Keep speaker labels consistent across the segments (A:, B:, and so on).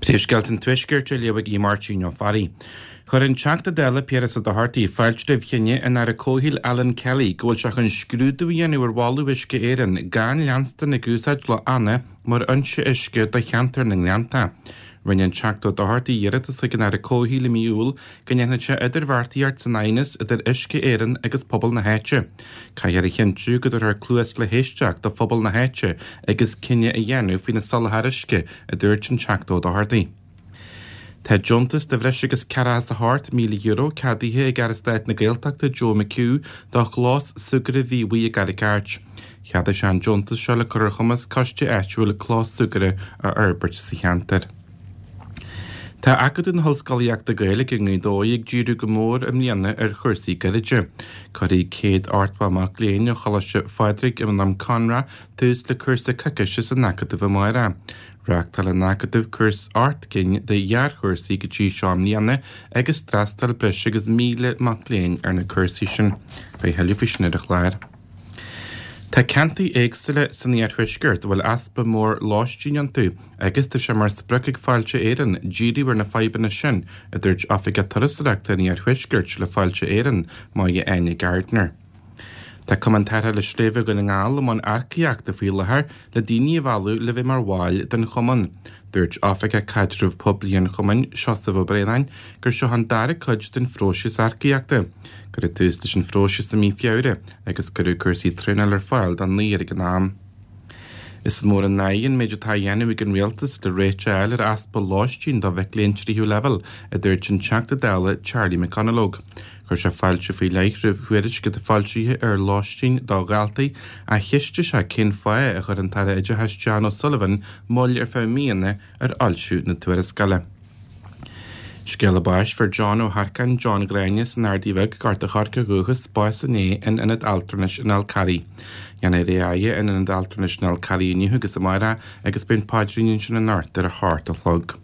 A: Príomhscéalta an Tuaiscirt á léamh ag Máirtín Ó Fearraigh. Chuir an Teachta Dála Piaras Ó Dochartaigh fáilte roimh chinneadh an Aire Comhshaoil Alan Kelly go bhfuil sé chun scrúdú a dhéanamh ar mholadh Uisce Éireann gan leanstan ag úsáid Loch Anna mar fhoinse uisce do cheantar na nGleannta. Rinne an Teachta Ó Dochartaigh iarratas chuig an Aire Comhshaoil i mí Iúil go ndéanfadh sé idirbheartaíocht san aighneas idir Uisce Éireann agus pobal na háite. Caithfear a chinntiú go dtabharfar cluas le héisteacht do phobal na háite agus cinneadh a dhéanamh faoina soláthar uisce, a dúirt an Teachta Ó Dochartaigh. Tá deontas de bhreis agus €48,000 ceadaithe ag Aire Stáit na Gaeltachta Joe McHugh do chlós súgartha Mhíobhaigh i gCarraig Airt. Cheadaigh sé an deontas seo le cur ar chumas coiste áitiúil clós súgartha a fhorbairt sa cheantar. Tá Acadamh na hOllscolaíochta Gaeilge i nGaoth Dobhair ag díriú go mór i mbliana ar chúrsaí Gaeilge. Cuirfidh 180 mac léinn ó Choláiste Phádraig i nDroim Conrach tús le cúrsa coicíse san Acadamh amárach. Reáchtáil an Acadamh cúrsa 8 gcinn de ghearrchúrsaí go dtí seo i mbliana agus d'fhreastail breis agus 1,000 mac léinn ar na cúrsaí sin. Beidh thuilleadh faoi sin ar an chlár. Tá ceantair éagsúla san iarthuaisceart a bhfuil easpa mór lóistín iontu agus tá sé mar sprioc ag Fáilte Éireann díriú ar na fadhbanna sin, a dúirt Oifigeach Turasóireachta an Iarthuaiscirt le Fáilte Éireann, Máire Áine Gardiner. Tá Cumann Tarrthála Sléibhe Dhún na nGall i mbun earcaíochta faoi láthair le daoine a mhealladh le bheith mar bhaill den chumann. Dúirt Oifigeach Caidreamh Poiblí an chumainn, Seosamh Ó Braonáin, gur seo an dara cuid den phróiseas earcaíochta. Cuireadh tús leis an phróiseas i mí Feabhra agus cuireadh cúrsaí traenála ar fáil don naonúr ag an am. Is mór an náire an méid atá á dhéanamh ag an Rialtas le réiteach a fháil ar easpa lóistín do mhic léinn tríú leibhéal, a dúirt an Teachta Dála Charlie McConalogue. Chuir sé fáilte faoi leith roimh thuairisc atá foilsithe ar lóistín do dhaltaí ach cheistigh sé cén fáth a chuir an tAire Oideachais Jan O'Sullivan moill ar feadh míonna ar fhoilsiú na tuarascála. Scéala báis, Fuair John Ó hEarcáin, John Ghráinne as an Ardaidh Bheag, Gort a' Choirce ó dhúchas, bás inné in Ionad Altranais an Fhál Carraigh. Déanfar é a fhaire in Ionad Altranais an Fhál Carraigh inniu agus amárach agus beidh an paidrín ansin anocht ar a hocht a chlog.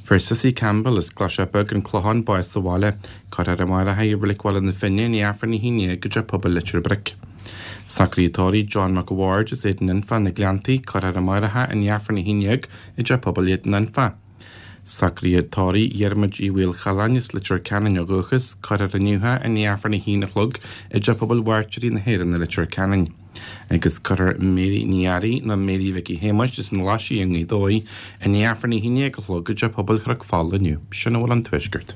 A: Fuair Cissie Campbell as Claiseach Beag, An Clochán, bás sa bhaile. Cuirfear amárach í i Reilig Bhaile na Finne i ndiaidh Aifreann 11 i dTeach Pobail Leitir Bric. Socruithe tórraimh John Mac a' Bhaird as Éadan Anfa, Na Gleanntaí, Cuirfear amárach é i ndiaidh Aifreann 11 i dTeach Pobail Éadan Anfa. Socruithe tórraimh Dhiarmuid Uí Mhaolchalláin as Leitir Ceanainn ó dhúchas, cuirfear inniu é i ndiaidh Aifreann 1 a chlog i dTeach Pobail Mhairtírí na hÉireann i Leitir Ceanainn. Agus cuirfear Mary Ní Fhearraigh nó Mary Mhicí Shéamuis as an Ghlaisigh i nGaoth Dobhair i ndiaidh Aifreann 11 a chlog i dTeach Pobail Chnoc Fola inniu. Sin a bhfuil ón Tuaisceart.